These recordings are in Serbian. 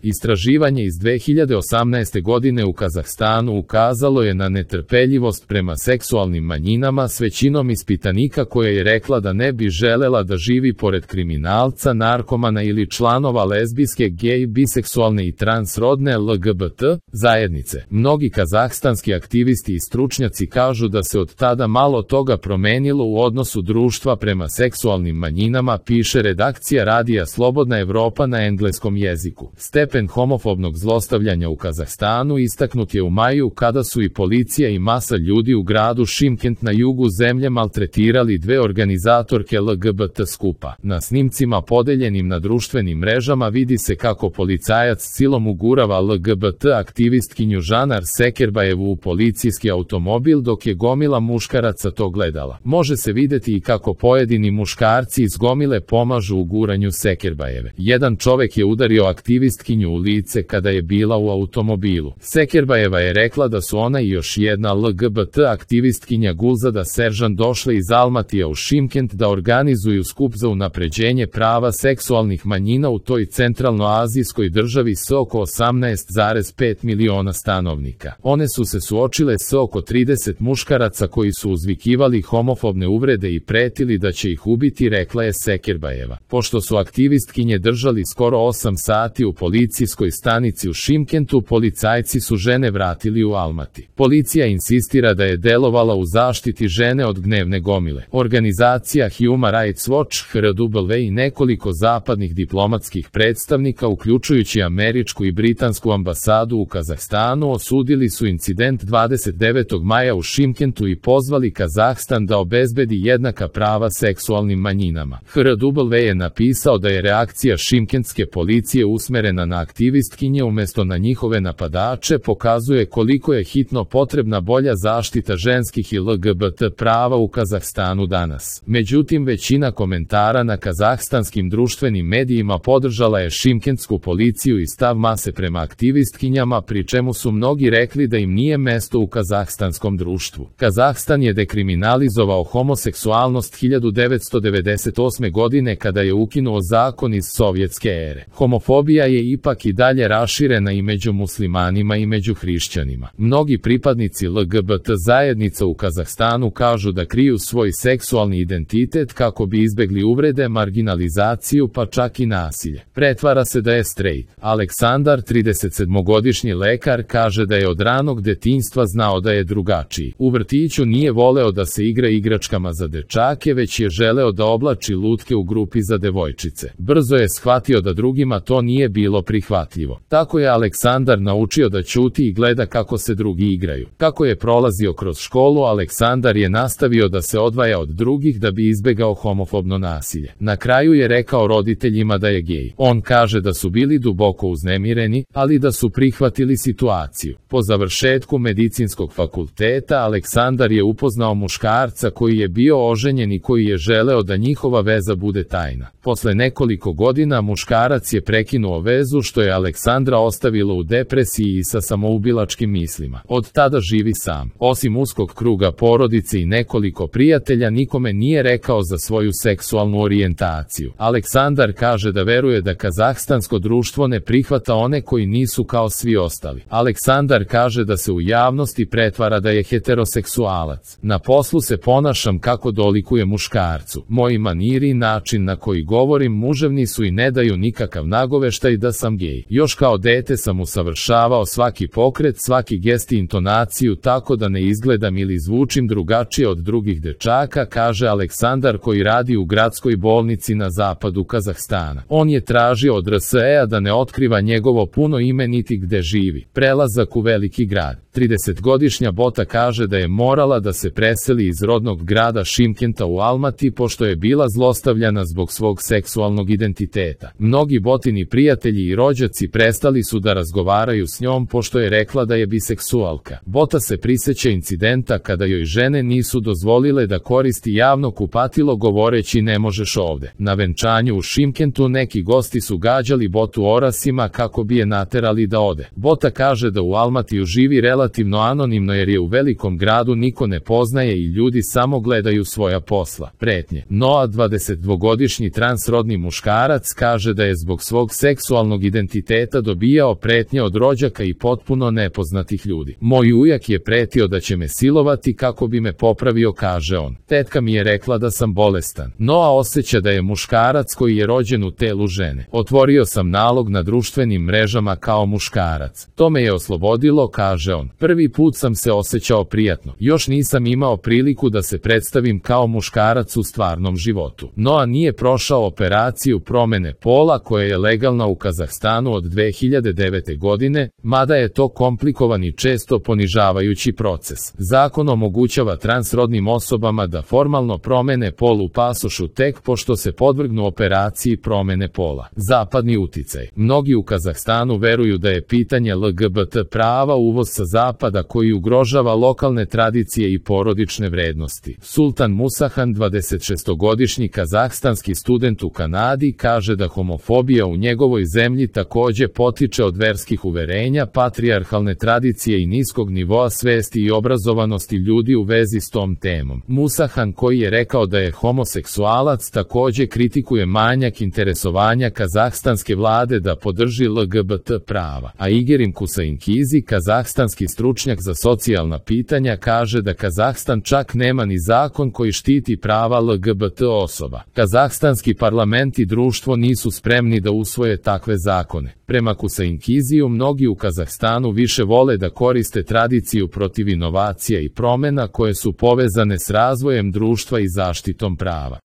Istraživanje iz 2018. godine u Kazahstanu ukazalo je na netrpeljivost prema seksualnim manjinama s većinom ispitanika koja je rekla da ne bi želela da živi pored kriminalca, narkomana ili članova lezbijske, gej, biseksualne i transrodne LGBT zajednice. Mnogi kazahstanski aktivisti i stručnjaci kažu da se od tada malo toga promenilo u odnosu društva prema seksualnim manjinama, piše redakcija radija Slobodna Evropa na engleskom jeziku. Stepen homofobnog zlostavljanja u Kazahstanu istaknut je u maju kada su i policija i masa ljudi u gradu Šimkent na jugu zemlje maltretirali dve organizatorke LGBT skupa. Na snimcima podeljenim na društvenim mrežama vidi se kako policajac silom ugurava LGBT aktivistkinju Žanar Sekerbajevu u policijski automobil dok je gomila muškaraca to gledala. Može se videti i kako pojedini muškarci iz gomile pomažu u guranju Sekerbajeve. Jedan čovek je udario aktivistkinju u lice kada je bila u automobilu. Sekerbajeva je rekla da su ona i još jedna LGBT aktivistkinja Gulzada Seržan došle iz Almatija u Šimkent da organizuju skup za unapređenje prava seksualnih manjina u toj centralnoazijskoj državi s oko 18,5 miliona stanovnika. One su se suočile s oko 30 muškaraca koji su uzvikivali homofobne uvrede i pretili da će ih ubiti, rekla je Sekerbajeva. Pošto su aktivistkinje držali skoro 8 sati u policijskoj stanici u Šimkentu, policajci su žene vratili u Almati. Policija insistira da je delovala u zaštiti žene od gnevne gomile. Organizacija Human Rights Watch, HRW i nekoliko zapadnih diplomatskih predstavnika, uključujući američku i britansku ambasadu u Kazahstanu, osudili su incident 29. maja u Šimkentu i pozvali Kazahstan da obezbedi jednaka prava seksualnim manjinama. HRW je napisao da je reakcija šimkentske policije usmerena na aktivistkinje umesto na njihove napadače, pokazuje koliko je hitno potrebna bolja zaštita ženskih i LGBT prava u Kazahstanu danas. Međutim, većina komentara na kazahstanskim društvenim medijima podržala je šimkentsku policiju i stav mase prema aktivistkinjama, pri čemu su mnogi rekli da im nije mesto u kazahstanskom društvu. Kazahstan je dekriminalizovao homoseksualnost 1998. godine kada je ukinuo zakon iz sovjetske ere. Homofobija je ipak i dalje raširena i među muslimanima i među hrišćanima. Mnogi pripadnici LGBT zajednica u Kazahstanu kažu da kriju svoj seksualni identitet kako bi izbegli uvrede, marginalizaciju pa čak i nasilje. Pretvara se da je straight. Aleksandar, 37-godišnji lekar, kaže da je od ranog detinjstva znao da je drugačiji. U vrtiću nije voleo da se igra igračkama za dečake, već je želeo da oblači lutke u grupi za devojčice. Brzo je shvatio da drugima to nije bilo prihvatljivo. Tako je Aleksandar naučio da ćuti i gleda kako se drugi igraju. Kako je prolazio kroz školu, Aleksandar je nastavio da se odvaja od drugih da bi izbegao homofobno nasilje. Na kraju je rekao roditeljima da je gej. On kaže da su bili duboko uznemireni, ali da su prihvatili situaciju. Po završetku medicinskog fakulteta, Aleksandar je upoznao muškarca koji je bio oženjen i koji je želeo da njihova veza bude tajna. Posle nekoliko godina muškarac je prekinuo vezu, što je Aleksandra ostavilo u depresiji i sa samoubilačkim mislima. Od tada živi sam. Osim uskog kruga porodice i nekoliko prijatelja, nikome nije rekao za svoju seksualnu orijentaciju. Aleksandar kaže da veruje da kazahstansko društvo ne prihvata one koji nisu kao svi ostali. Aleksandar kaže da se u javnosti pretvara da je heteroseksualac. Na poslu se ponašam kako dolikuje muškarcu. Moji maniri i način na koji govorim muževni su i ne daju nikakav nagoveštaj da sam gej. Još kao dete sam usavršavao svaki pokret, svaki gest i intonaciju tako da ne izgledam ili zvučim drugačije od drugih dečaka, kaže Aleksandar koji radi u gradskoj bolnici na zapadu Kazahstana. On je tražio od RSE-a da ne otkriva njegovo puno ime niti gde živi. Prelazak u veliki grad. 30-godišnja Bota kaže da je morala da se preseli iz rodnog grada Šimkenta u Almati pošto je bila zlostavljana zbog svog seksualnog identiteta. Mnogi Botini prijatelji i rođaci prestali su da razgovaraju s njom pošto je rekla da je biseksualka. Bota se priseća incidenta kada joj žene nisu dozvolile da koristi javno kupatilo govoreći ne možeš ovde. Na venčanju u Šimkentu neki gosti su gađali Botu orasima kako bi je naterali da ode. Bota kaže da u Almatiju živi relativno relativno anonimno jer je u velikom gradu niko ne poznaje i ljudi samo gledaju svoja posla. Pretnje. Noa, 22-godišnji transrodni muškarac, kaže da je zbog svog seksualnog identiteta dobijao pretnje od rođaka i potpuno nepoznatih ljudi. Moj ujak je pretio da će me silovati kako bi me popravio, kaže on. Tetka mi je rekla da sam bolestan. Noa osjeća da je muškarac koji je rođen u telu žene. Otvorio sam nalog na društvenim mrežama kao muškarac. To me je oslobodilo, kaže on. Prvi put sam se osjećao prijatno. Još nisam imao priliku da se predstavim kao muškarac u stvarnom životu. Noa nije prošao operaciju promene pola koja je legalna u Kazahstanu od 2009. godine, mada je to komplikovan i često ponižavajući proces. Zakon omogućava transrodnim osobama da formalno promene pol u pasošu tek pošto se podvrgnu operaciji promene pola. Zapadni uticaj. Mnogi u Kazahstanu veruju da je pitanje LGBT prava uvoz sa zapada koji ugrožava lokalne tradicije i porodične vrednosti. Sultan Musahan, 26-godišnji kazahstanski student u Kanadi, kaže da homofobija u njegovoj zemlji takođe potiče od verskih uverenja, patrijarhalne tradicije i niskog nivoa svesti i obrazovanosti ljudi u vezi s tom temom. Musahan, koji je rekao da je homoseksualac, takođe kritikuje manjak interesovanja kazahstanske vlade da podrži LGBT prava. A Igerim Kusainkizi, kazahstanski stručnjak za socijalna pitanja, kaže da Kazahstan čak nema ni zakon koji štiti prava LGBT osoba. Kazahstanski parlament i društvo nisu spremni da usvoje takve zakone. Prema Kusainkiziju, mnogi u Kazahstanu više vole da koriste tradiciju protiv inovacija i promena koje su povezane s razvojem društva i zaštitom prava.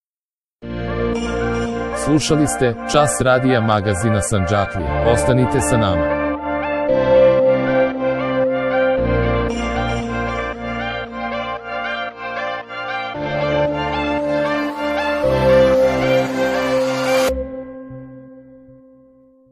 Slušali ste Čas radija magazina Sandžaklija. Ostanite sa nama.